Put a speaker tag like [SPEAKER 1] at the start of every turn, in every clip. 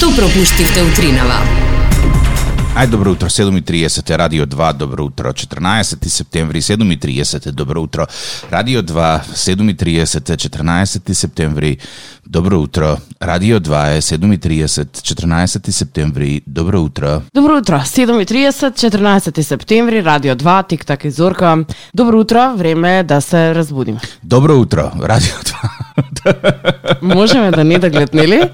[SPEAKER 1] Што пропуштивте утринава?
[SPEAKER 2] Ај, добро утро, 7:30, Радио 2, добро утро, 14 септември, 7:30, добро утро, Радио 2, 7:30, 14 септември, добро утро, Радио 2 е 7:30, 14 септември, добро утро.
[SPEAKER 3] Добро утро, 7:30, 14 септември, Радио 2, Тик-так и Зорка. Добро утро, време е да се разбудиме.
[SPEAKER 2] Добро утро, Радио 2.
[SPEAKER 3] Можеме да не да гледнели?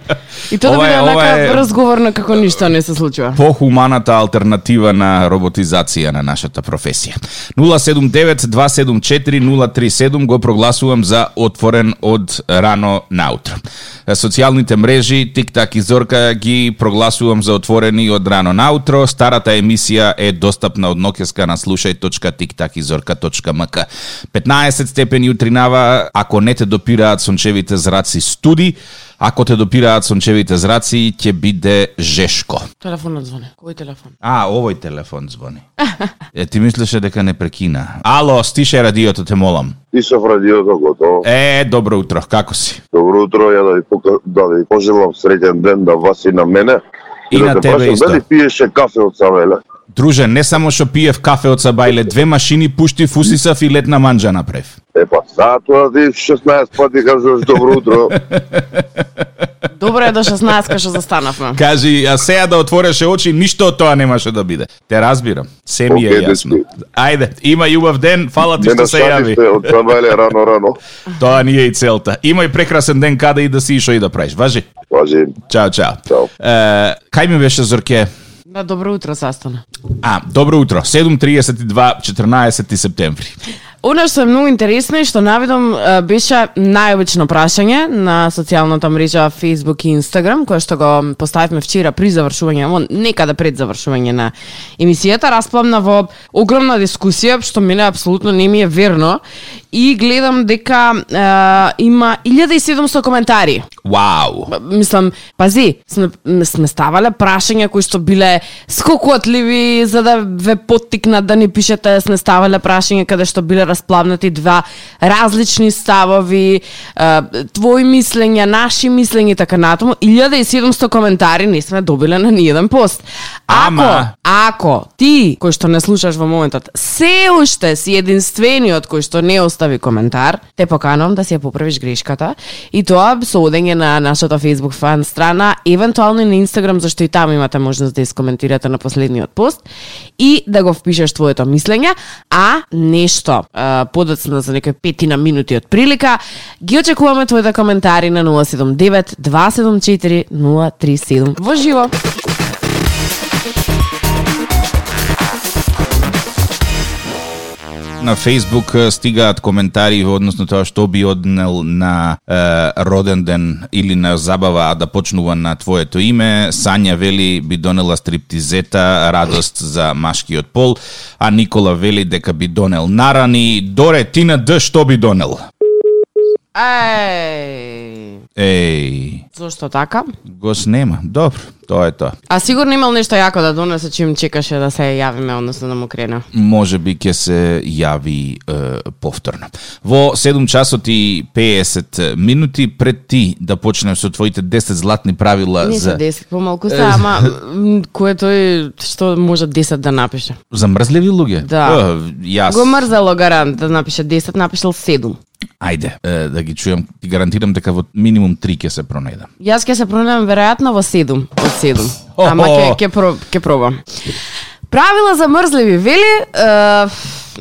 [SPEAKER 3] И тоа да биде онака разговорно како ништо не се случува.
[SPEAKER 2] Похуманата алтернатива на роботизација на нашата професија. 079-274-037 го прогласувам за отворен од рано наутро. Социјалните мрежи, Тик-так и Зорка ги прогласувам за отворени од рано наутро. Старата емисија е достапна од ноќеска на slušaj.tiktakizorka.mk. 15 степени утринава, ако не те допираат сончевите зраци студи, ако те допираат сончевите зраци, ќе биде жешко.
[SPEAKER 3] Телефонот звони. Кој телефон?
[SPEAKER 2] Овој телефон звони. Ти мислеше дека не прекина. Ало, стише радиото, те молам.
[SPEAKER 4] Тишав радиото, готово.
[SPEAKER 2] Добро утро, како си?
[SPEAKER 4] Добро утро, ја да ви пожелам среќен ден на вас и на мене.
[SPEAKER 2] И на тебе исто.
[SPEAKER 4] Дали пиеше кафе од Савеле?
[SPEAKER 2] Друже, не само што пиев кафе од Сабајле, 2 машини пуштив, усисав и летна манџа направив.
[SPEAKER 4] Тоа ти 16 пати кажуваш добро утро.
[SPEAKER 3] Добро е до 16 што застанавме.
[SPEAKER 2] Кажи, а сега да отвореше очи, ништо од тоа немаше да биде. Те разбирам, се ми е јасно. Ајде, има љубав ден, фала ти што се јави.
[SPEAKER 4] Од Савеле рано.
[SPEAKER 2] Тоа ни е и целта. Имај прекрасен ден, каде и да си и шо и да правиш. Важи?
[SPEAKER 4] Важи.
[SPEAKER 2] Чао. Кај ми беше, Зорке?
[SPEAKER 3] Да, добро утро, састана.
[SPEAKER 2] Добро утро. 7:32, 14 септември.
[SPEAKER 3] Оно што е многу интересно и што навидом беше најобично прашање на социјалната мрежа Facebook и Instagram, кое што го поставивме вчера при завршување, некаде пред завршување на емисијата, расплавна во огромна дискусија, што мене апсолутно не ми е верно, и гледам дека има 1700 коментари.
[SPEAKER 2] Вау!
[SPEAKER 3] Мислам, пази, сме ставале прашања кои што биле скокотливи за да ве поттикнат да ни пишете, сме ставале прашања каде што биле расплавнати два различни ставови, твои мислења, наши мислења и така натаму. 1700 коментари не сме добиле на ниеден пост. Ако ти, кој што не слушаш во моментот, се уште си единствениот кој што не остави коментар, те поканувам да си ја поправиш грешката и тоа со одење на нашата Facebook фан страна, евентуално и на Instagram, зашто и таму имате можност да искоментирате на последниот пост и да го впишеш твоето мислење, а нешто подоцна за некои 5 минути од прилика, ги очекуваме твоите коментари на 079-274-037 во живо.
[SPEAKER 2] На Facebook стигаат коментари односно тоа што би однел на роден ден или на забава да почнува на твоето име. Сања вели би донела стриптизета, радост за машкиот пол, а Никола вели дека би донел нарани. Доре, ти на Д што би донел? Еј.
[SPEAKER 3] Зошто така?
[SPEAKER 2] Го снема. Добро, тоа е тоа.
[SPEAKER 3] А сигурно имал нешто јако да донесе чим чекаше да се јавиме, односно да му крене.
[SPEAKER 2] Може би ќе се јави повторно. Во 7 часот и 50 минути пред ти да почнем со твоите 10 златни правила
[SPEAKER 3] не
[SPEAKER 2] за...
[SPEAKER 3] Не се 10, помалку се, ама кој тој што може 10 да напише?
[SPEAKER 2] За мрзливи луѓе?
[SPEAKER 3] Да.
[SPEAKER 2] Јас...
[SPEAKER 3] Го мрзало гарант да напише 10, напишал 7.
[SPEAKER 2] Ајде, да ги чујам, ти гарантирам дека во минимум 3 ќе се пронајдам.
[SPEAKER 3] Јас ќе се пронајдам веројатно во 7 од 7. Ама ќе пробам. Правила за мрзливи, вели,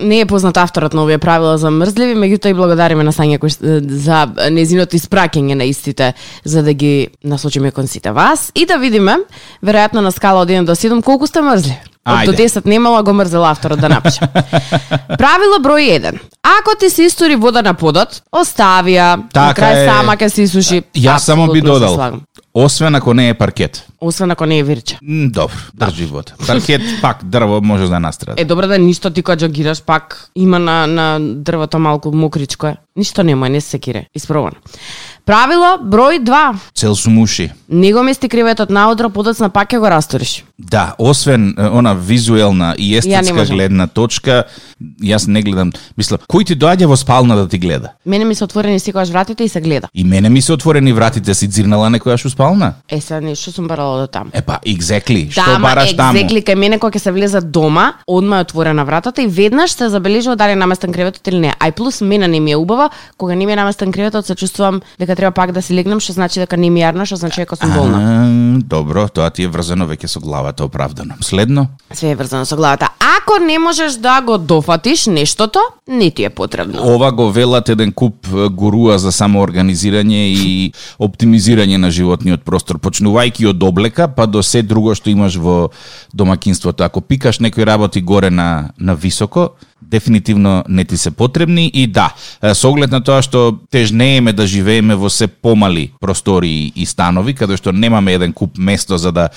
[SPEAKER 3] не е познат авторот на овие правила за мрзливи, меѓутоа и благодариме на Сања за незиното испраќање на истите, за да ги насочиме кон сите вас и да видиме, веројатно на скала од 1 до 7, колку сте мрзливи. Од до 10 немало го мрзел авторот да напише. Правило број 1. Ако ти се истори вода на подот, остави ја, на крај сама ќе се исуши.
[SPEAKER 2] Јас само би додал, освен ако не е паркет.
[SPEAKER 3] Освен ако не е вирче.
[SPEAKER 2] Добро, држи вода. Паркет, пак дрво може да настрада.
[SPEAKER 3] Добро да ништо ти кога джогираш, пак има на дрвото малку мокричко е. Ништо нема, не се секире. Испробано. Правило број 2.
[SPEAKER 2] Цел сум уши.
[SPEAKER 3] Не го мести креветот наутро, подоцна пак ќе го расториш.
[SPEAKER 2] Да, освен она визуелна и естетска гледна точка, јас не гледам, мислам, кој ти доаѓа во спална да ти гледа?
[SPEAKER 3] Мене ми се отворени секогаш вратите и се гледа.
[SPEAKER 2] И мене ми се отворени вратите, си дзирнала некојаш у спална?
[SPEAKER 3] Сега нешто сум барала до там.
[SPEAKER 2] Па, exactly. Што бараш таму?
[SPEAKER 3] Exactly, кај мене кога ќе се влеза дома, одма е отворена вратата и веднаш се забележува дали е наместен креветот или не. Ај плюс мене не ми е убава, кога не ми е наместен креветот, се чувствувам дека треба пак да си легнем, што значи дека не ми јарна, што значи дека сум болна.
[SPEAKER 2] Добро, тоа ти е врзано веќе со главата, оправдано. Следно?
[SPEAKER 3] Све е врзано со главата. Ако не можеш да го дофатиш нештото, не ти е потребно.
[SPEAKER 2] Ова го велат еден куп гуруа за самоорганизирање и оптимизирање на животниот простор, почнувајќи од облека па до се друго што имаш во домаќинството. Ако пикаш некои работи горе на високо, дефинитивно не ти се потребни и да, со оглед на тоа што тежнееме да живееме во се помали простори и станови, каде што немаме еден куп место за да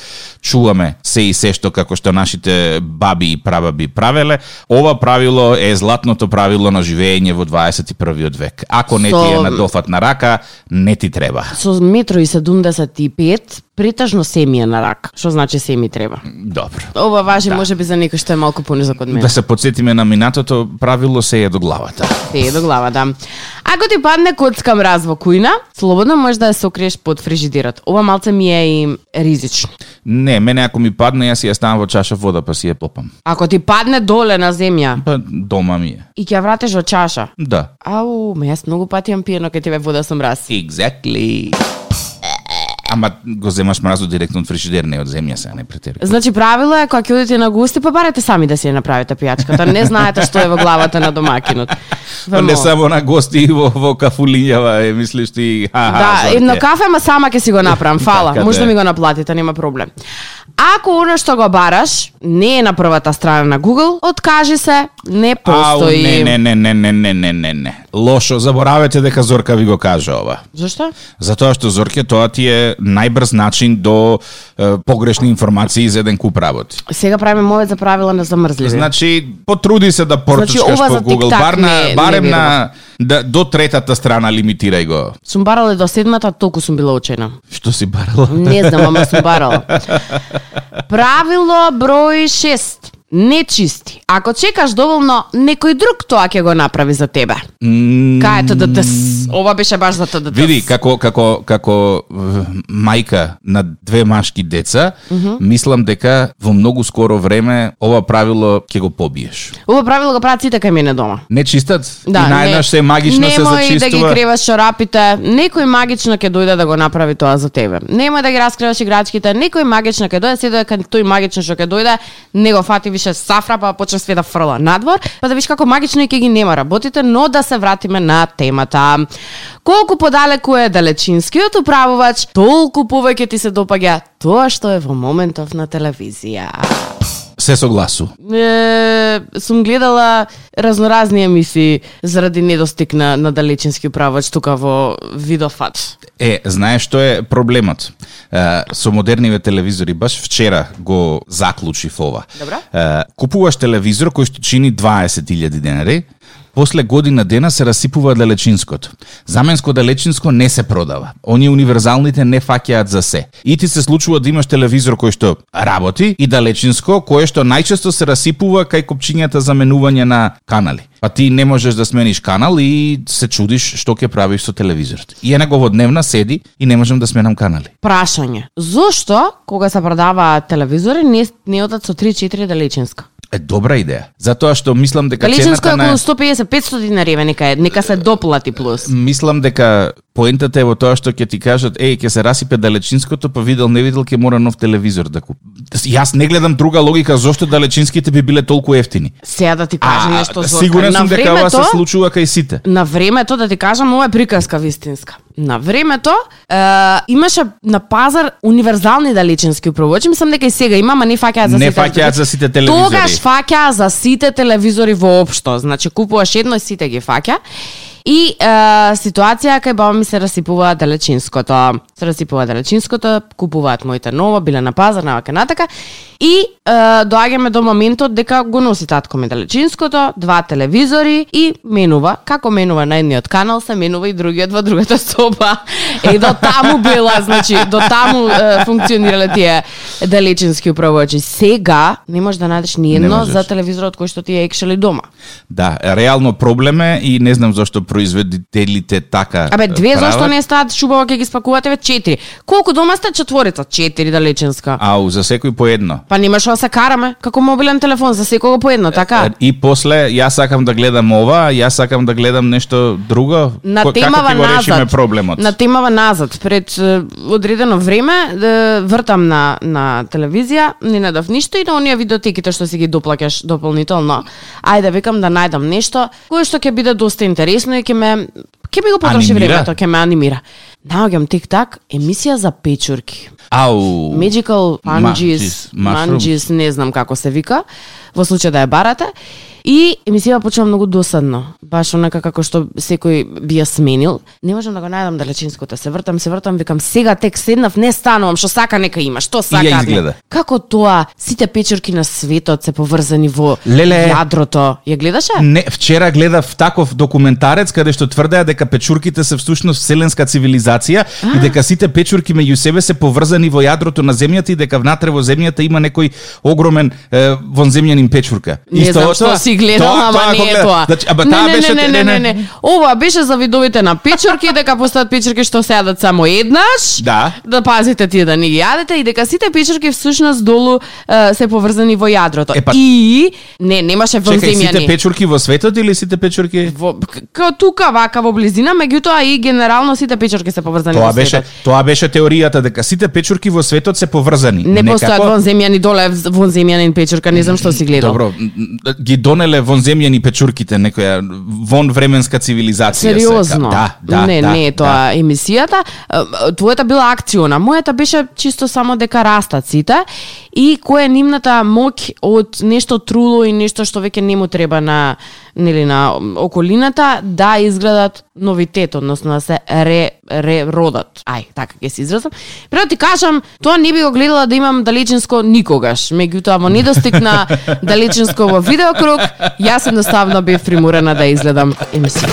[SPEAKER 2] чуваме се и се што како што нашите баби и прабаби правеле, ова правило е златното правило на живење во 21. век. Ако не ти е на дофат на рака, не ти треба.
[SPEAKER 3] Со 1,75 м претежно се ми е на рак. Што значи се ми треба?
[SPEAKER 2] Добро.
[SPEAKER 3] Ова важи може би за некој што е малку понизок од мене.
[SPEAKER 2] Да се потсетиме на минатото правило, се е до главата.
[SPEAKER 3] Се е до глава, да. Ако ти падне коцка мраз во кујна, слободно можеш да ја сокриеш под фрижидерот. Ова малце ми е и ризично.
[SPEAKER 2] Не, мене ако ми падне, јас ја ставам во чаша вода па си ја попам.
[SPEAKER 3] Ако ти падне доле на земја,
[SPEAKER 2] Па дома ми е.
[SPEAKER 3] И ќе ја вратиш во чаша.
[SPEAKER 2] Да.
[SPEAKER 3] Ау, јас многу пати јам пиено кај тебе вода со мраз.
[SPEAKER 2] Exactly. Ама го земаш мразот директно од фрижидер, не од земја се, не претери.
[SPEAKER 3] Значи правило е кога ќе одите на гости, па барете сами да си ја направите пијачката. Не знаете што е во главата на домакинот.
[SPEAKER 2] Не само на гости во кафулињава, мислиш ти,
[SPEAKER 3] да, едно кафе, ма сама ќе си го направам. Фала, може да ми го наплатите, нема проблем. Ако оно што го бараш не е на првата страна на Google, откажи се, не постои.
[SPEAKER 2] Не. Лошо, заборавете дека Зорка ви го кажа ова.
[SPEAKER 3] Зашто?
[SPEAKER 2] Затоа што Зорке тоа ти е најбрз начин до погрешни информации за еден куп работи.
[SPEAKER 3] Сега правиме мовет за правила на замрзливи.
[SPEAKER 2] Значи, потруди се да портучкаш по Google. Барем на до третата страна лимитирај го.
[SPEAKER 3] Сум барала до 7-та, толку сум била учена.
[SPEAKER 2] Што си барала?
[SPEAKER 3] Не знам, ама сум барала. Правило број 6. Не чисти. Ако чекаш доволно, некој друг тоа ќе го направи за тебе. Кај ТДТС? Ова беше баш за ТДТС.
[SPEAKER 2] Види, како мајка на 2 машки деца, мислам дека во многу скоро време ова правило ќе го побиеш.
[SPEAKER 3] Ова правило го прават сите кај мене дома.
[SPEAKER 2] Не чистат?
[SPEAKER 3] Да,
[SPEAKER 2] и наеднаш се магично се зачистува.
[SPEAKER 3] Немој да ги креваш чорапите, некој магично ќе дојде да го направи тоа за тебе. Немој да ги раскриваш играчките, некој магично ќе дојде, седо дека тој магично што ќе дојде, не го фати више сафра, па почне све да фрла надвор, па да виш како магично и ќе ги нема работите, но да се вратиме на темата. Колку подалеку е далечинскиот управувач, толку повеќе ти се допаѓа тоа што е во моментов на телевизија.
[SPEAKER 2] Се согласу.
[SPEAKER 3] Сум гледала разноразни емисии заради недостиг на далечински управувач тука во Видофат.
[SPEAKER 2] Знаеш што е проблемот? Со модерниве телевизори, баш вчера го заклучив ова. Купуваш телевизор кој што чини 20.000 денари, после година дена се расипува далечинското. Заменско далечинско не се продава. Оние универзалните не фаќаат за се. И ти се случува да имаш телевизор кој што работи и далечинско кое што најчесто се расипува кај копчињата за менување на канали. Па ти не можеш да смениш канал и се чудиш што ќе правиш со телевизорот. И една говодневна седи и не можам да сменам канали.
[SPEAKER 3] Прашање. Зошто кога се продаваат телевизори не одат со 3-4 далечинска?
[SPEAKER 2] Добра идеја. Затоа што мислам дека
[SPEAKER 3] далечинско е околу 150-500 динари, нека се доплати плюс.
[SPEAKER 2] Мислам дека поентата е во тоа што ќе ти кажат, ќе се расипе далечинското, па видел не видел ќе мора нов телевизор да купи. Јас не гледам друга логика зошто далечинските би биле толку ефтини.
[SPEAKER 3] Сега да ти кажам нешто Зорка.
[SPEAKER 2] Сигурен сум дека ова се случува кај сите.
[SPEAKER 3] На времето да ти кажам, ова е приказка вистинска. На времето имаше на пазар универзални далечински управувачи, мислам дека и сега има, ама не фаќаат за сите.
[SPEAKER 2] Не фаќаат за сите телевизори.
[SPEAKER 3] Тогаш фаќа за сите телевизори воопшто. Значи купуваш едно и сите ги фаќа. И ситуација кај баба ми се расипува далечинското. Купуваат моите ново, биле на пазар, навака натака. И доаѓаме до моментот дека го носи татко ми далечинското, 2 телевизори и менува. Како менува на едниот канал, се менува и другиот во другата соба. До таму била, значи, до таму функционирале тие далечински управувачи. Сега не можеш да најдеш ни едно за телевизорот кој што ти е екшели дома.
[SPEAKER 2] Да, реално проблем е и не знам зашто производителите така.
[SPEAKER 3] 2 зашто не стаат шубаво ќе ги спакувате ве 4. Колку дома сте? 4 далечинска.
[SPEAKER 2] Ау, за секој по едно.
[SPEAKER 3] Па немаш да се караме како мобилен телефон за секого по едно, така?
[SPEAKER 2] И после јас сакам да гледам ова, јас сакам да гледам нешто друго.
[SPEAKER 3] На темава
[SPEAKER 2] како ти го решиме
[SPEAKER 3] назад.
[SPEAKER 2] проблемот?
[SPEAKER 3] На темава назад, пред одредено време вртам на телевизија, не најдов ништо и на оние видеотеките што си ги доплаќаш дополнително. Ајде викам да најдам нешто кое што ќе биде доста интересно и ќе ми го потроши времето, ќе ме анимира. Наоѓам тик-так, емисија за печурки.
[SPEAKER 2] Ау.
[SPEAKER 3] Magical Manjis, не знам како се вика, во случај да ја барате. И емисија почнува многу досадно. Баш онака како што секој би ја сменил. Не можам да го најдам далечинското. Се вртам, викам сега тек седнав, не станувам, што сака нека има, што сака.
[SPEAKER 2] И ја изгледа.
[SPEAKER 3] Како тоа сите печурки на светот се поврзани во јадрото. Ја гледаше?
[SPEAKER 2] Не, вчера гледав таков документарец каде што тврдеа дека печурките се всушност вселенска цивилизација и дека сите печурки меѓу себе се поврзани во јадрото на земјата и дека внатре во земјата има некој огромен вонземјанин печурка.
[SPEAKER 3] Не знам што си гледал, ама не е тоа.
[SPEAKER 2] Значи, таа беше
[SPEAKER 3] не. Ова беше за видовите на печурки, дека постојат печурки што се јадат само еднаш. Да пазите тие да не ги јадете и дека сите печурки всушност долу се поврзани во јадрото. И немаше вонземјани.
[SPEAKER 2] Сите печурки во светот или сите печурки
[SPEAKER 3] како тука вака во близина, меѓутоа и генерално сите печурки се поврзани во светот.
[SPEAKER 2] Тоа беше теоријата дека сите печурки во светот се поврзани.
[SPEAKER 3] Не постојат вонземјани, доле вонземјанин печурка, не знам што си гледал.
[SPEAKER 2] Добро, ги донеле вонземјани печурките, некоја вонвременска цивилизација.
[SPEAKER 3] Сериозно?
[SPEAKER 2] Да.
[SPEAKER 3] Не е тоа емисијата. Твојата била акциона, мојата беше чисто само дека растат сите и која е нивната моќ од нешто труло и нешто што веќе не му треба на околината да изгледат новитет, односно да се родат. Така ќе се изразам. Прво ти кажам, тоа не би го гледала да имам далечинско никогаш. Меѓутоа во недостиг на далечинско во видеокруг, јас едноставно бев приморена да изгледам емисија.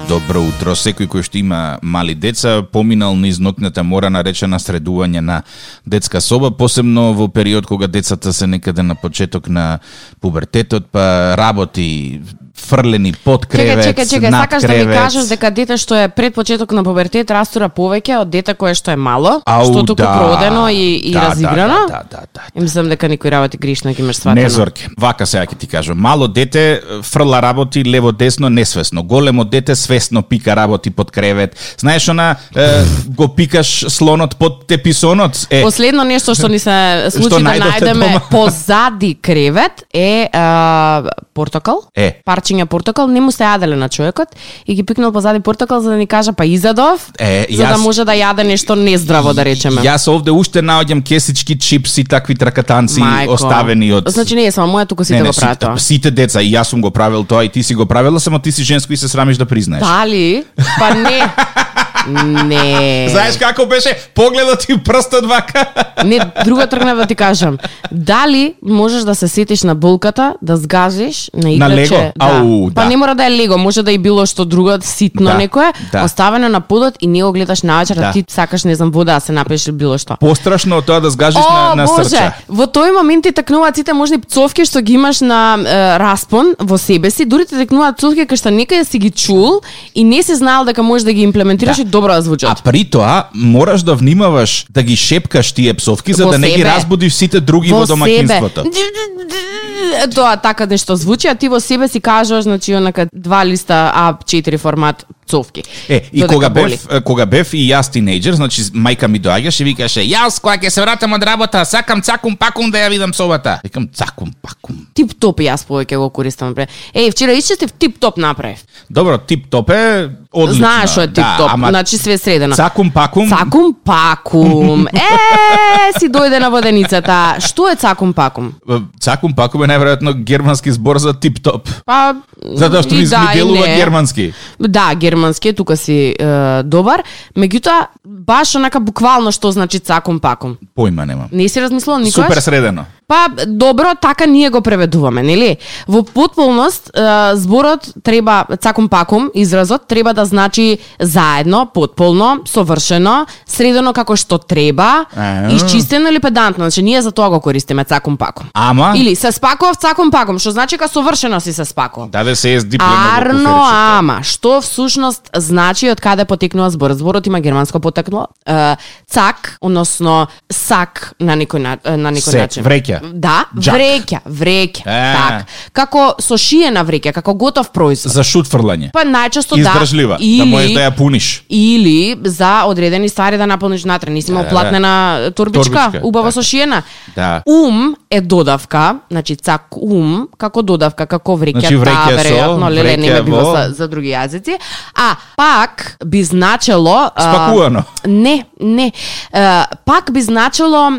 [SPEAKER 2] Добро утро. Секој кој што има мали деца поминал низ ноќната мора наречена средување на детска соба, посебно во период кога децата се некаде на почеток на пубертетот, па работи фрлени под кревет,
[SPEAKER 3] Чекај, сакаш да ми кажеш дека дете што е пред почеток на пубертет растура повеќе од дете кое што е мало, што туку продено и разиграно?
[SPEAKER 2] Да.
[SPEAKER 3] Мислам дека некој работи гришно ќе имаш сватено.
[SPEAKER 2] Не, Зорке, вака сега ќе ти кажам. Мало дете фрла работи лево-десно несвесно. Големо дете свесно пика работи под кревет. Знаеш го пикаш слонот под теписонот?
[SPEAKER 3] Последно нешто што ни се случи да најдеме позади кревет е портокал. Парчиња портокал, не му се јаделе на човекот и ги пикнал позади портокал за да ни кажа па изадов, за да може да јаде нешто нездраво, да речеме.
[SPEAKER 2] Јас овде уште наоѓам кесички, чипси, такви тракатанци оставени од...
[SPEAKER 3] Значи не е само моја, туку сите го прават тоа.
[SPEAKER 2] Сите деца, и јас сум го правил тоа и ти си го правила, само ти си женско и се срамиш да признаеш.
[SPEAKER 3] Дали? Па не. Не.
[SPEAKER 2] Знаеш како беше погледот и прстот вака?
[SPEAKER 3] Не, друго тргнав да ти кажам. Дали можеш да се сетиш на болката, да сгазиш на играче?
[SPEAKER 2] На лего?
[SPEAKER 3] Да. Па не мора да е лего, може да и било што друго ситно некое, оставено на подот и не го гледаш навечер, ти сакаш не знам вода да се напиеш или било што.
[SPEAKER 2] Пострашно од тоа да сгажиш на срче.
[SPEAKER 3] Во тој момент ти текнуваат сите можни цовки што ги имаш на распон во себе си, дури ти текнуваат цовки кај што некаде си ги чул и не си знаел дека можеш да ги имплементираш и добро да звучат.
[SPEAKER 2] А при тоа мораш да внимаваш да ги шепкаш тие псовки за да не ги разбудиш сите други во домаќинството.
[SPEAKER 3] Тоа така нешто звучи, а ти во себе си кажуваш, значи онака 2 листа А4 формат цовки.
[SPEAKER 2] И кога бев и јас тинејџер, значи мајка ми доаѓаше и викаше: "Јас кога ќе се вратам од работа, сакам цакум пакум да ја видам собата." Викам цакум пакум.
[SPEAKER 3] Тип-топ јас повеќе го користам. Вчера исчестив тип-топ направив.
[SPEAKER 2] Добро, тип-топ е одлично.
[SPEAKER 3] Знаеш што е тип-топ, значи све средено.
[SPEAKER 2] Цакум пакум.
[SPEAKER 3] Цакум пакум. Си дојде на воденицата. Што е цакум пакум?
[SPEAKER 2] Цакум пакум е најверојатно германски збор за тип-топ.
[SPEAKER 3] Па
[SPEAKER 2] затоа што ми делува германски.
[SPEAKER 3] Да, германски, тука си добар. Меѓутоа, баш онака буквално што значи цакум пакум.
[SPEAKER 2] Појма немам.
[SPEAKER 3] Не си размислувал никогаш?
[SPEAKER 2] Супер средено.
[SPEAKER 3] Па, добро, така ние го преведуваме, нели? Во потполност, зборот треба, цакум пакум, изразот, треба да значи заедно, потполно, совршено, средено како што треба, исчистено или педантно. Значи, ние за тоа го користиме, цакум пакум.
[SPEAKER 2] Ама?
[SPEAKER 3] Или се спакував, цакум пакум, што значи ка совршено си се спакував.
[SPEAKER 2] Да се е диплема во куферчето.
[SPEAKER 3] Арно, ама, што всушност значи од каде потекнува збор? Зборот има германско потекло. Цак, односно сак на некој начин.
[SPEAKER 2] Вреќа.
[SPEAKER 3] Да, вреќа. Так. Како со шиена вреќа, како готов производ.
[SPEAKER 2] За шутфрлање.
[SPEAKER 3] Па најчесто
[SPEAKER 2] издржлива, да можеш да ја пуниш.
[SPEAKER 3] Или за одредени ствари да наполниш внатре. Нisi имал платнена турбичка, убаво со шиена.
[SPEAKER 2] Да.
[SPEAKER 3] Е додавка, значи цак како додавка, како вреќа,
[SPEAKER 2] значи,
[SPEAKER 3] веројатно, леле не ме било за други јазици. А пак би значело
[SPEAKER 2] спакувано.
[SPEAKER 3] Не. Пак би значело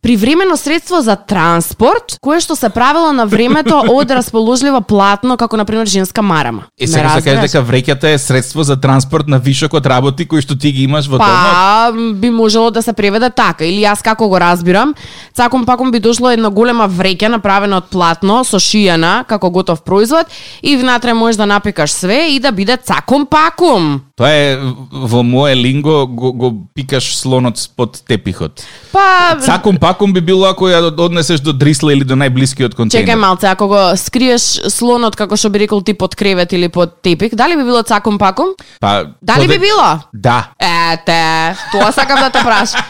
[SPEAKER 3] привремено средство за транспорт, кое што се правило на времето од расположливо платно, како на пример женска марама.
[SPEAKER 2] Сега се каже дека вреќата е средство за транспорт на вишок од работи кои што ти ги имаш во домот.
[SPEAKER 3] Па би можело да се преведе така, или јас како го разбирам, цакум пакум би дошло една голема вреќа направена од платно со шиена како готов производ и внатре можеш да напекаш све и да биде цакум пакум.
[SPEAKER 2] Тоа е во мое линго го пикаш слонот под тепихот.
[SPEAKER 3] Па
[SPEAKER 2] цакум пакум би било ако ја однесеш до дрисла или до најблискиот контейнер.
[SPEAKER 3] Чекај малце, ако го скриеш слонот како што би рекол ти под кревет или под тепих, дали би било цакум пакум?
[SPEAKER 2] Па
[SPEAKER 3] дали би било?
[SPEAKER 2] Да.
[SPEAKER 3] Ете, тоа сакам да те прашам.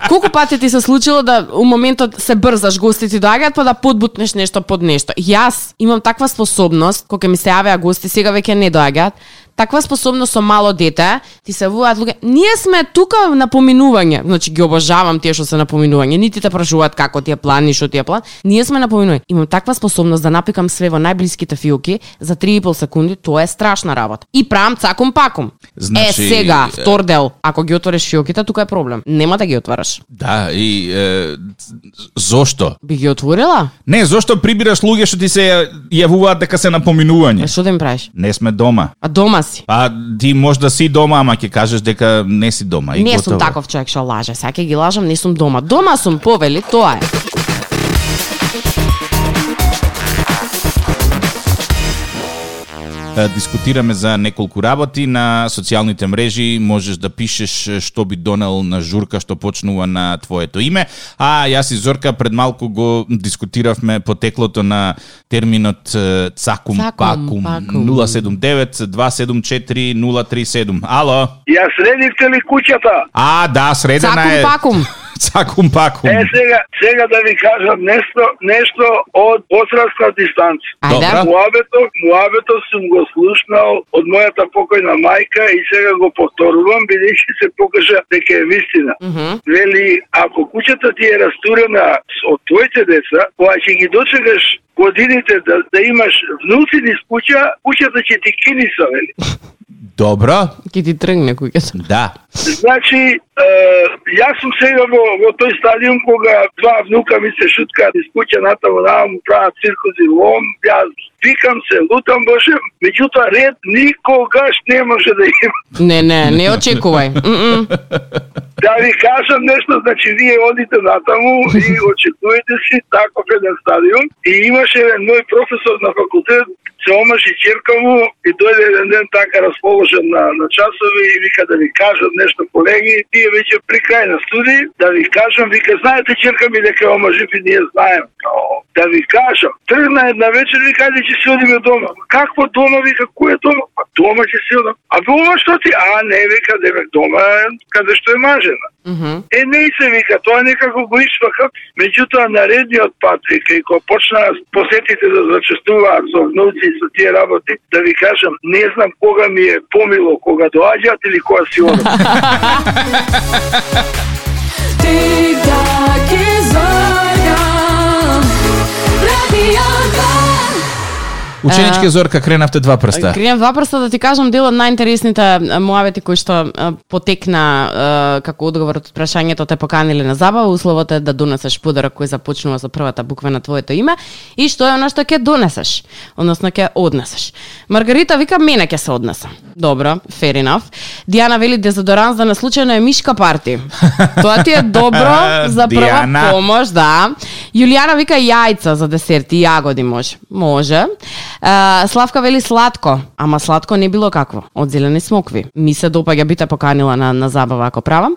[SPEAKER 3] Колку пати ти се случило да у моментот се брзаш, гости ти доаѓаат па да подбутнеш нешто под нешто? Јас имам таква способност, кога ми се јавеа гости, сега веќе не доаѓаат. Таква способност со мало дете, ти се вуваат луѓе. Ние сме тука на поминување. Значи ги обожавам тие што се на поминување. Нити те прашуваат како ти е план, ни што ти е план. Ние сме на поминување. Имам таква способност да напикам све во најблиските фиоки за 3,5 секунди, тоа е страшна работа. И правам цакум пакум.
[SPEAKER 2] Значи,
[SPEAKER 3] сега, втор дел, ако ги отвориш фиоките, тука е проблем. Нема да ги отвараш.
[SPEAKER 2] Да, и зошто?
[SPEAKER 3] Би ги отворила?
[SPEAKER 2] Не, зошто прибираш луѓе што ти се јавуваат дека се на поминување?
[SPEAKER 3] Што да им правиш?
[SPEAKER 2] Не сме дома.
[SPEAKER 3] А дома си?
[SPEAKER 2] Па ти може да си дома, ама ќе кажеш дека не си дома. И
[SPEAKER 3] не
[SPEAKER 2] готово.
[SPEAKER 3] Сум таков човек што лаже. Сега ќе ги лажам, не сум дома. Дома сум, повели, тоа е.
[SPEAKER 2] Дискутираме за неколку работи на социјалните мрежи, можеш да пишеш што би донел на журка што почнува на твоето име, а јас и Зорка пред малку го дискутиравме потеклото на терминот цакум пакум 079-274-037. Ало?
[SPEAKER 1] Ја средивте ли куќата?
[SPEAKER 2] А, да, средена е.
[SPEAKER 3] Цакум пакум.
[SPEAKER 2] Цакум пакум.
[SPEAKER 1] Сега да ви кажам нешто од посредна дистанца.
[SPEAKER 3] Ајде.
[SPEAKER 1] Муабето сум го слушнал од мојата покојна мајка и сега го повторувам, бидејќи се покажа дека е вистина. Вели, ако куќата ти е растурена од твоите деца, кога ќе ги дочекаш годините да имаш внуци низ куќата ќе ти киниса, вели.
[SPEAKER 2] Добро.
[SPEAKER 3] Ки ти тргне куќата.
[SPEAKER 2] Да.
[SPEAKER 1] Значи, јас сум сега во тој стадиум кога два внука ми се шуткаат из куќа натаму му прават циркус и лом, јас викам се, лутам Боже, меѓутоа ред никогаш не може да има.
[SPEAKER 3] Не очекувај.
[SPEAKER 1] Да ви кажам нешто, значи вие одите натаму и очекувате си таков еден стадиум и имаше еден мој професор на факултет, се омаши ќерка му и дојде еден ден така расположен на часови и вика да ви кажам нешто, колеги, тие веќе при крај на студии, да ви кажам, вика, знаете ќерка ми дека омажи и ние знаем. Да ви кажам, тргна една вечер, вика, ајде ќе си одиме дома. Какво дома, вика, кој е дома? дома ќе си одам. А ова што ти? Не, вика, девек дома каде што е мажена. Не се вика, тоа некако го ишвака. Меѓутоа наредниот пат, вика, и кога почна посетите да зачестуваат со внуци и со тие работи, да ви кажам, не знам кога ми е помило, кога доаѓаат или кога си одам.
[SPEAKER 5] Тик-так и Зорка, радиото.
[SPEAKER 2] Ученичке Зорка, кренавте два прста.
[SPEAKER 3] Кренав два прста да ти кажам дел од најинтересните муавети кои што потекна како одговор од прашањето те поканиле на забава, условот е да донесеш подарок кој започнува со првата буква на твоето име и што е она што ќе донесеш, односно ќе однесеш. Маргарита вика мене ќе се однеса. Добро, fair enough. Диана вели дезодоранс да не случајно е мишка парти. Тоа ти е добро за прва помош, да. Јулијана вика јајца за десерт и јагоди може. Може. Славка вели сладко, ама сладко не било какво, од зелени смокви. Ми се допаѓа бите поканила на забава ако правам.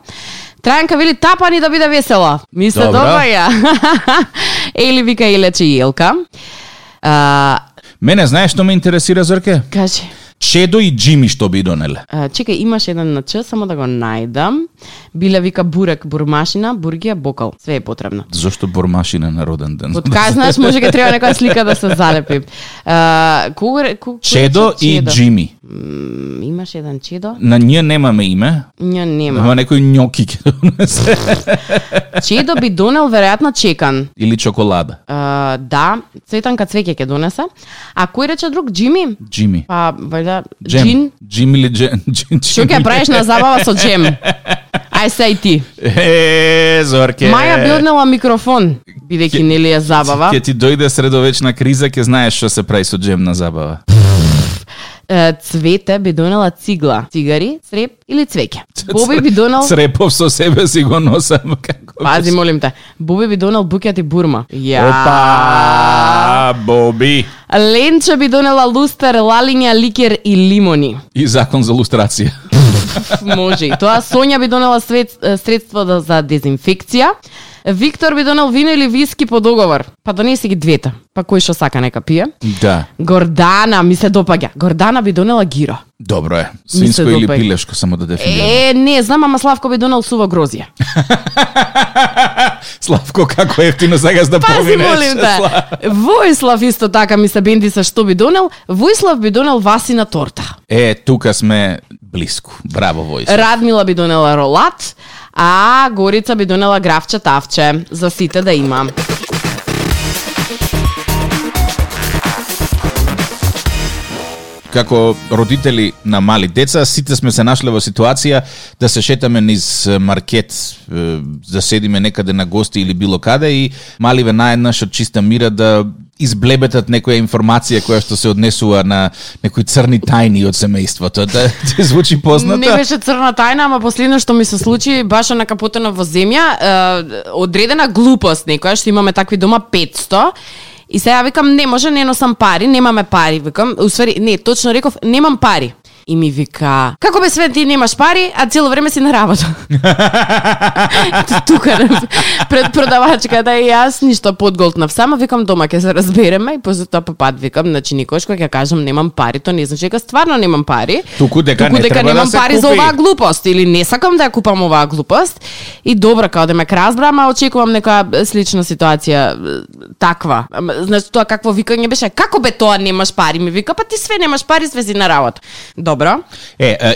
[SPEAKER 3] Трајанка вели тапани да биде весела. Ми се допаѓа. Ели вика и лече Елка.
[SPEAKER 2] Мене знаеш што ме интересира, Зорке?
[SPEAKER 3] Кажи.
[SPEAKER 2] Чедо и Джими што би донеле?
[SPEAKER 3] Чекај, имаш еден на Ч, само да го најдам. Биле вика бурек, бурмашина, бургија, бокал. Све е потребно.
[SPEAKER 2] Зошто бурмашина на роден ден?
[SPEAKER 3] Од кај знаеш, може ке треба некоја слика да се залепи.
[SPEAKER 2] Чедо и Джими.
[SPEAKER 3] Имаш еден Чедо?
[SPEAKER 2] На ние немаме име.
[SPEAKER 3] Ние нема.
[SPEAKER 2] Ама некој њоки ќе донесе.
[SPEAKER 3] Чедо би донел веројатно чекан.
[SPEAKER 2] Или чоколада.
[SPEAKER 3] Да, цветанка цвеќе ќе донесе. А кој рече друг? Джими?
[SPEAKER 2] Джими.
[SPEAKER 3] Па, вајда,
[SPEAKER 2] Джин? Джим или Джин?
[SPEAKER 3] Што ќе правиш на забава со джем? Ај се и ти.
[SPEAKER 2] Зорке.
[SPEAKER 3] Маја би однела микрофон, бидејќи нели е забава.
[SPEAKER 2] Ќе ти дојде средовечна криза, ќе знаеш што се прави со джем на забава.
[SPEAKER 3] Цвете би донела цигла, цигари, цреп или цвеќе. Боби би донел
[SPEAKER 2] црепов со себе си го носам како.
[SPEAKER 3] Пази, молим те. Боби би донел букет и бурма.
[SPEAKER 2] Опа, Боби.
[SPEAKER 3] Ленче би донела лустер, лалиња, ликер и лимони.
[SPEAKER 2] И закон за лустрација.
[SPEAKER 3] Може и тоа. Сонја би донела средство за дезинфекција. Виктор би донел вино или виски по договор. Па донеси ги двете. Па кој што сака нека пие.
[SPEAKER 2] Да.
[SPEAKER 3] Гордана ми се допаѓа. Гордана би донела гиро.
[SPEAKER 2] Добро е. Свинско или пилешко, само да дефинираме.
[SPEAKER 3] Не знам, ама Славко би донел суво грозје.
[SPEAKER 2] Славко, како ефтино сакаш да поминеш.
[SPEAKER 3] Пази, молим те. Војслав исто така ми се бенди со што би донел. Војслав би донел васина торта.
[SPEAKER 2] Тука сме блиску. Браво, Војслав.
[SPEAKER 3] Радмила би донела ролат, а Горица би донела графче тавче. За сите да има.
[SPEAKER 2] Како родители на мали деца, сите сме се нашле во ситуација да се шетаме низ маркет, да седиме некаде на гости или било каде и маливе наеднаш од чиста мира да изблебетат некоја информација која што се однесува на некои црни тајни од семејството. Да ти звучи позната?
[SPEAKER 3] Не беше црна тајна, ама последно што ми се случи баш на капотена во земја, одредена глупост некоја, што имаме такви дома 500. И сега викам, не може, не носам пари, немаме пари, викам, усвари, не, точно реков, немам пари. И ми вика, како бе све ти немаш пари, а цело време си на работа. Тука пред продавачката и јас ништо подголтнав. Само викам дома ќе се разбереме и после тоа пат викам, значи никош кога ќе кажам немам пари, то не значи дека стварно немам пари.
[SPEAKER 2] Туку дека не треба
[SPEAKER 3] немам
[SPEAKER 2] да се
[SPEAKER 3] пари
[SPEAKER 2] купи
[SPEAKER 3] за оваа глупост или не сакам да ја купам оваа глупост. И добро, као да ме разбрам, а очекувам некоја слична ситуација таква. Значи тоа какво викање беше? Како бе тоа немаш пари? Ми вика, па ти све немаш пари, све си на работа. Добро.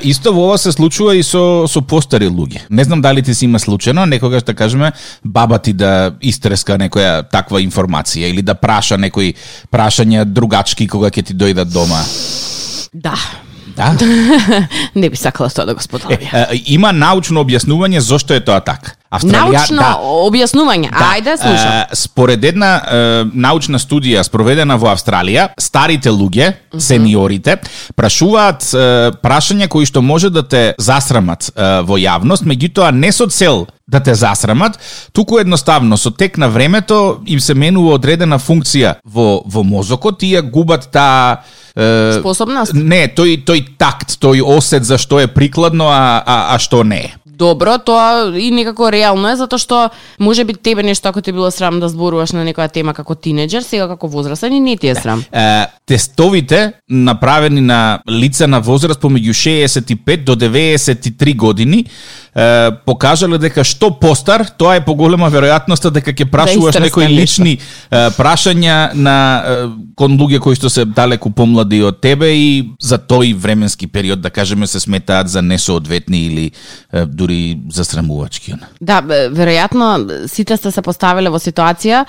[SPEAKER 2] Исто во ова се случува и со постари луѓе. Не знам дали ти си има случајно, некогаш да кажеме, баба ти да истреска некоја таква информација или да праша некои прашања другачки кога ќе ти дојдат дома.
[SPEAKER 3] Да.
[SPEAKER 2] Да?
[SPEAKER 3] Не би сакала тоа да го споделам.
[SPEAKER 2] Има научно објаснување зошто е тоа така.
[SPEAKER 3] Научно објаснување.
[SPEAKER 2] Да.
[SPEAKER 3] Ајде, слушам.
[SPEAKER 2] Според една научна студија спроведена во Австралија, старите луѓе, сениорите, прашуваат прашања кои што може да те засрамат во јавност, меѓутоа не со цел да те засрамат, туку едноставно со тек на времето им се менува одредена функција во мозокот, тие губат таа
[SPEAKER 3] способност?
[SPEAKER 2] Не, тој такт, тој осет за што е прикладно, а што не е.
[SPEAKER 3] Добро, тоа и некако реално е, затоа што може би тебе нешто ако ти било срам да зборуваш на некоја тема како тинеџер, сега како возрастен и не ти е срам.
[SPEAKER 2] Тестовите направени на лица на возраст помеѓу 65 до 93 години покажале дека што постар, тоа е поголема веројатноста дека ќе прашуваш некои лични прашања на кон луѓе кои што се далеку помлади од тебе и за тој временски период, да кажеме, се сметаат за несоодветни или дури засрамувачки.
[SPEAKER 3] Да, веројатно сите сте се поставиле во ситуација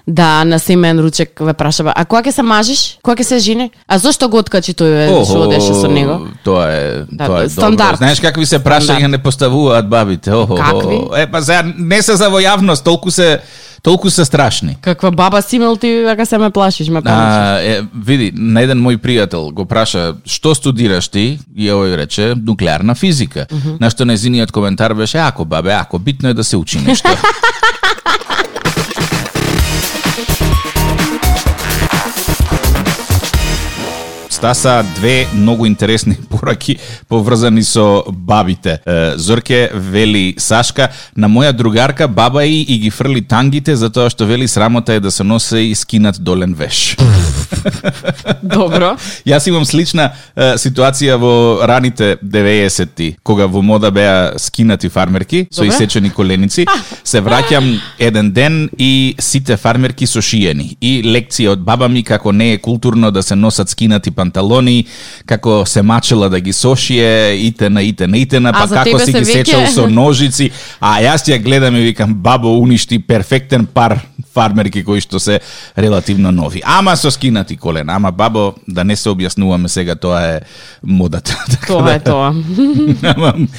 [SPEAKER 3] да на семеен ручек ве прашава, а кога ќе се мажиш? Кога ќе се жени? А зошто го откачи тој што одеше со него?
[SPEAKER 2] Тоа е
[SPEAKER 3] стандард.
[SPEAKER 2] Добро. Знаеш какви се прашања не поставуваат бабите?
[SPEAKER 3] Какви?
[SPEAKER 2] Па сега не се за во јавност, толку се страшни.
[SPEAKER 3] Каква баба си имал ти, дека се ме плашиш, ме помниш?
[SPEAKER 2] Види, на еден мој пријател го праша, што студираш ти? И овој рече, нуклеарна физика. На што нејзиниот коментар беше, ако бабе, ако битно е да се учи нешто. Стаса две многу интересни пораки поврзани со бабите. Зорке вели Сашка, на моја другарка баба и ги фрли тангите затоа што вели срамота е да се носи и скинат долен веш.
[SPEAKER 3] Добро.
[SPEAKER 2] Јас имам слична ситуација во раните 90-ти, кога во мода беа скинати фармерки со исечени коленици. Се враќам еден ден и сите фармерки со шиени. И лекција од баба ми како не е културно да се носат скинати панталони, како се мачела да ги сошие, итена, па како си ги сечал со ножици. А јас ја гледам и викам, бабо уништи перфектен пар фармерки кои што се релативно нови. Ама со скинати колена. Ама бабо, да не се објаснуваме сега, тоа е модата.
[SPEAKER 3] Тоа е тоа.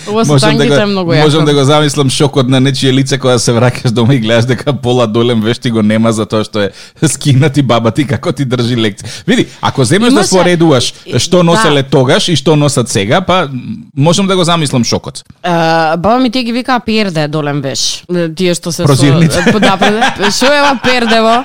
[SPEAKER 3] Ова со тангите е многу јако.
[SPEAKER 2] Можам да го замислам шокот на нечие лице кога се враќаш дома и гледаш дека пола долем вешти го нема затоа што е скинати баба ти како ти држи лекција. Види, ако земеш да споредуваш што носеле тогаш и што носат сега, па можам да го замислам шокот.
[SPEAKER 3] Баба ми тие ги викаа перде долем веш. Тие што се
[SPEAKER 2] прозирните.
[SPEAKER 3] Шо е ова пердево?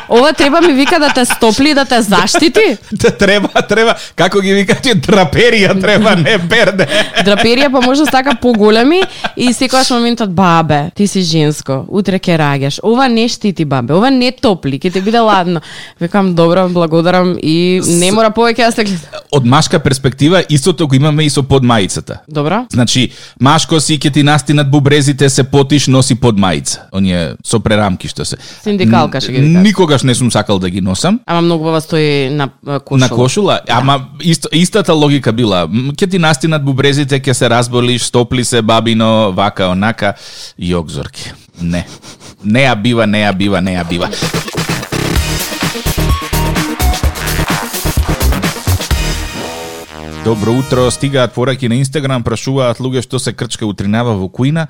[SPEAKER 3] Ова треба ми вика да те стопли, да те заштити?
[SPEAKER 2] Треба. Како ги викаат, драперија треба, не перде.
[SPEAKER 3] Драперија па може така поголеми и секогаш моментот, бабе, ти си женско, утре ќе раѓаш. Ова не штити, бабе, ова не топли, ќе ти биде ладно. Викам, добро, благодарам и не мора повеќе да се гледа.
[SPEAKER 2] Од машка перспектива, истото го имаме и со подмаицата.
[SPEAKER 3] Добро.
[SPEAKER 2] Значи, машко си ќе ти настинат бубрезите, се потиш, носи подмаица. Оние со прерамки што се.
[SPEAKER 3] Синдикалка ќе ги викаат.
[SPEAKER 2] Никогаш не сум сакал да ги носам.
[SPEAKER 3] Ама многу баба стои на кошула.
[SPEAKER 2] На кошула, ама истата логика била. Ќе ти настинат бубрезите, ќе се разболиш, стопли се бабино, вака, онака. Јок, Зорке. Не. Не ја бива. Добро утро, стигаат пораки на Инстаграм, прашуваат луѓе што се крчка утринава во кујна,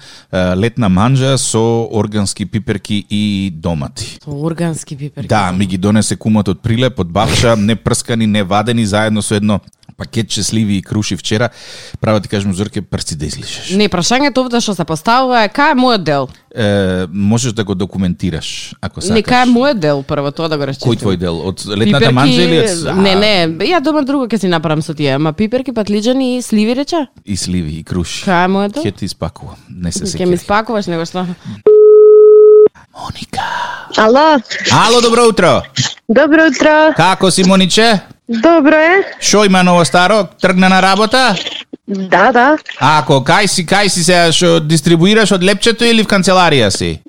[SPEAKER 2] летна манџа со органски пиперки и домати.
[SPEAKER 3] Со органски пиперки?
[SPEAKER 2] Да, ми ги донесе кумот од Прилеп, од Бавша, не прскани, не вадени, заедно со едно пакетче сливи и круши вчера. Право ти кажем, Зорке, прсти да излишеш.
[SPEAKER 3] Не, прашањето овде што се поставува е кај е мојот дел?
[SPEAKER 2] Можеш да го документираш, ако сакаш.
[SPEAKER 3] Не, кај е мојот дел, прво тоа да го расчистим.
[SPEAKER 2] Кој твој дел? Од летната манџа или од...
[SPEAKER 3] Не, ја дома друго ќе си направам со тие, ама пиперки, патлиџани и сливи рече?
[SPEAKER 2] И сливи, и круши.
[SPEAKER 3] Кај е мојот дел?
[SPEAKER 2] Ќе ти испакувам, не се секи.
[SPEAKER 3] Ќе ми испакуваш, него што?
[SPEAKER 2] Моника.
[SPEAKER 6] Ало,
[SPEAKER 2] добро утро.
[SPEAKER 6] Добро утро.
[SPEAKER 2] Како си, Мониче?
[SPEAKER 6] Добро е.
[SPEAKER 2] Шо има ново старо? Тргна на работа?
[SPEAKER 6] Да.
[SPEAKER 2] Ако, кај си сега, шо дистрибуираш од лепчето или в канцеларија си?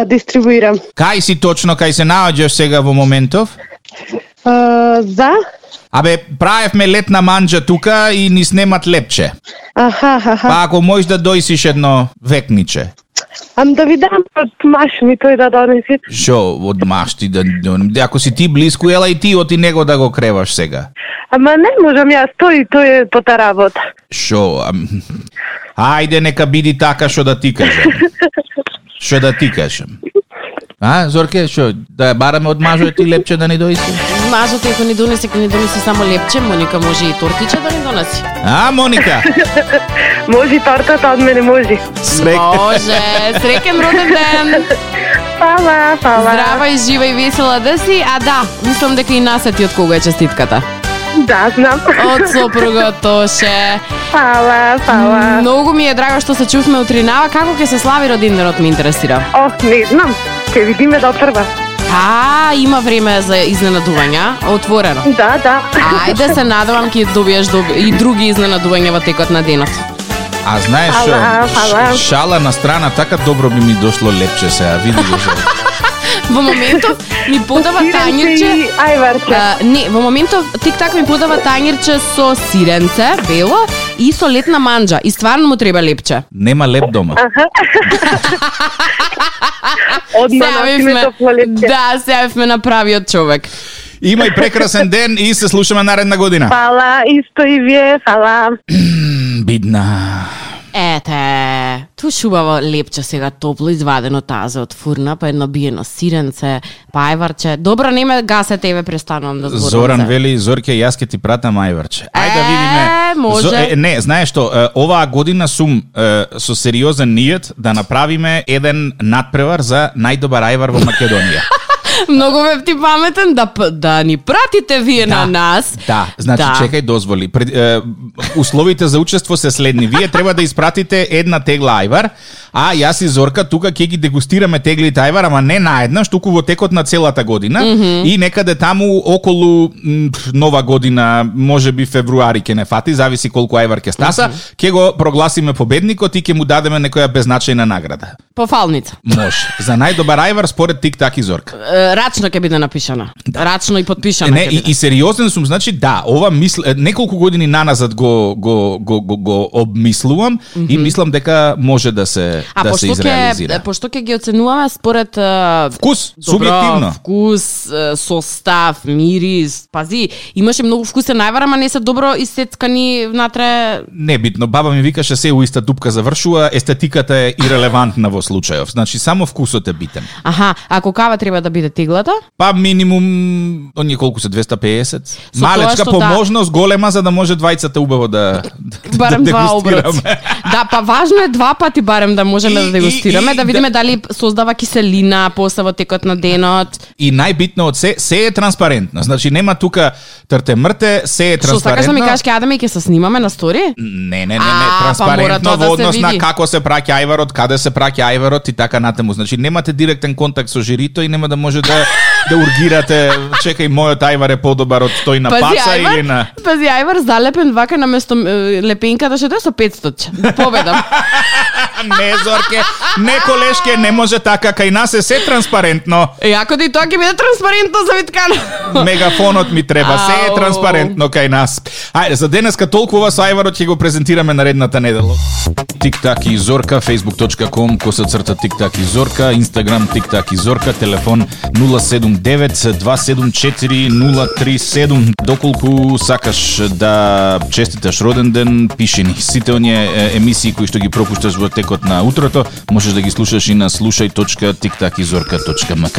[SPEAKER 6] Дистрибуирам.
[SPEAKER 2] Кај си точно, кај се наоѓаш сега во моментов?
[SPEAKER 6] За?
[SPEAKER 2] Абе, правевме летна манџа тука и ни снемат лепче.
[SPEAKER 6] Аха.
[SPEAKER 2] Па ако можеш да дојсиш едно векниче.
[SPEAKER 6] Ам да ви дам од маш ми тој да донеси.
[SPEAKER 2] Шо, од маш ти да... Ако си ти близко, ела и ти оти него да го креваш сега.
[SPEAKER 6] Ама не можам јас, тој е по та работа.
[SPEAKER 2] Шо, ајде нека биди така што да ти кажам. А, Зорке, шо, да ја бараме од мажот и лепче да ни дојси?
[SPEAKER 3] Мажот ако ни донесе само лепче, Моника може и тортиче да ни донеси.
[SPEAKER 2] А, Моника?
[SPEAKER 6] Може тортата од мене, може.
[SPEAKER 3] Може, среќен роден ден.
[SPEAKER 6] Фала.
[SPEAKER 3] Здрава и жива и весела да си, а да, мислам дека и нас ти од кога е честитката.
[SPEAKER 6] Да, знам.
[SPEAKER 3] Од сопругот Тоше.
[SPEAKER 6] Фала, фала.
[SPEAKER 3] Многу ми е драго што се чувме утринава. Како ќе се слави родинденот, ме интересира.
[SPEAKER 6] Не знам. Ќе видиме до прва.
[SPEAKER 3] Има време за изненадувања, отворено.
[SPEAKER 6] Да.
[SPEAKER 3] Ајде се надевам ќе добиеш и други изненадувања во текот на денот.
[SPEAKER 2] А знаеш,
[SPEAKER 6] Фала.
[SPEAKER 2] шала на страна, така добро би ми дошло лепче сега, види го.
[SPEAKER 3] Во моментов ми подава тањирче.
[SPEAKER 6] Ајварче.
[SPEAKER 3] Не, во моментов тик-так ми подава тањирче со сиренце, бело и со летна манџа. И стварно му треба лепче.
[SPEAKER 2] Нема леп дома.
[SPEAKER 6] Одма носиме топло лепче.
[SPEAKER 3] Да, сега сме направиот човек.
[SPEAKER 2] Имај прекрасен ден и се слушаме наредна година.
[SPEAKER 6] Фала, исто и вие, фала.
[SPEAKER 2] Бидна.
[SPEAKER 3] Ете, ту шубаво лепче сега топло извадено тазе од фурна, па едно биено сиренце, па ајварче. Добро, не ме гасе тебе, престанувам да зборам.
[SPEAKER 2] Зоран вели, Зорке, јас ќе ти пратам ајварче. Ајде да видиме.
[SPEAKER 3] Може.
[SPEAKER 2] Не, знаеш што, оваа година сум со сериозен ниет да направиме еден надпревар за најдобар ајвар во Македонија.
[SPEAKER 3] Многу ве ти паметен да ни пратите вие на нас.
[SPEAKER 2] Да, значи чекај, дозволи. Условите за учество се следни. Вие треба да испратите една тегла ајвар, а јас и Зорка тука ќе ги дегустираме теглите ајвар, ама не наеднаш, туку во текот на целата година и некаде таму околу Нова година, можеби февруари ќе не фати, зависи колку ајвар ќе стаса, ќе го прогласиме победникот и ќе му дадеме некоја беззначајна награда.
[SPEAKER 3] Пофалница.
[SPEAKER 2] Може. За најдобар ајвар според тик-так и Зорка.
[SPEAKER 3] Рачно ќе биде напишана. Рачно и подпишана.
[SPEAKER 2] Не, и сериозен сум, значи да, ова неколку години наназад го обмислувам и мислам дека може да се изреализира.
[SPEAKER 3] Пошто ќе ги оценуваме според
[SPEAKER 2] вкус, субјективно.
[SPEAKER 3] Вкус, состав, мирис, пази, имаше многу вкусен ајвар, ама не се добро исцецкани внатре.
[SPEAKER 2] Небитно, баба ми викаше се у иста дупка завршува, естетиката е ирелевантна во случајов. Значи само вкусот е битен.
[SPEAKER 3] Аха, ако кава треба да биде теглата?
[SPEAKER 2] Па минимум оние колку се 250. Малечка поможност голема за да може двајцата убаво да
[SPEAKER 3] барем два оброци. Да, па важно е два пати барем да можеме да дегустираме, да видиме дали создава киселина после во текот на денот.
[SPEAKER 2] И најбитно од се е транспарентно. Значи нема тука трте мрте, се е транспарентно.
[SPEAKER 3] Што сакаш да ми кажеш ќе одиме и ќе се снимаме на стори?
[SPEAKER 2] Не, транспарентно во однос на како се праќа ајварот, каде се праќа ајварот и така натаму. Значи немате директен контакт со жирито и нема да може да ургирате, чекај, мојот ајвар е подобар од тој на паца или на...
[SPEAKER 3] Пази, ајвар залепен вака на место лепенката што е со 500. Победам.
[SPEAKER 2] Не, Зорке, не колешке, не може така, кај нас е се транспарентно.
[SPEAKER 3] Ако и тоа ќе биде транспарентно за Виткано.
[SPEAKER 2] Мегафонот ми треба, се е транспарентно кај нас. Ајде, за денеска толкова со ајварот ќе го презентираме наредната недела. Тик-так и Зорка, facebook.com/тик-так и Зорка, Instagram тик-так и Зорка, телефон 079-274-037. Доколку сакаш да честиташ роден ден, пиши ни. Сите оние емисии кои што ги пропушташ во текот на утрото, можеш да ги слушаш и на slušaj.tiktakizorka.mk.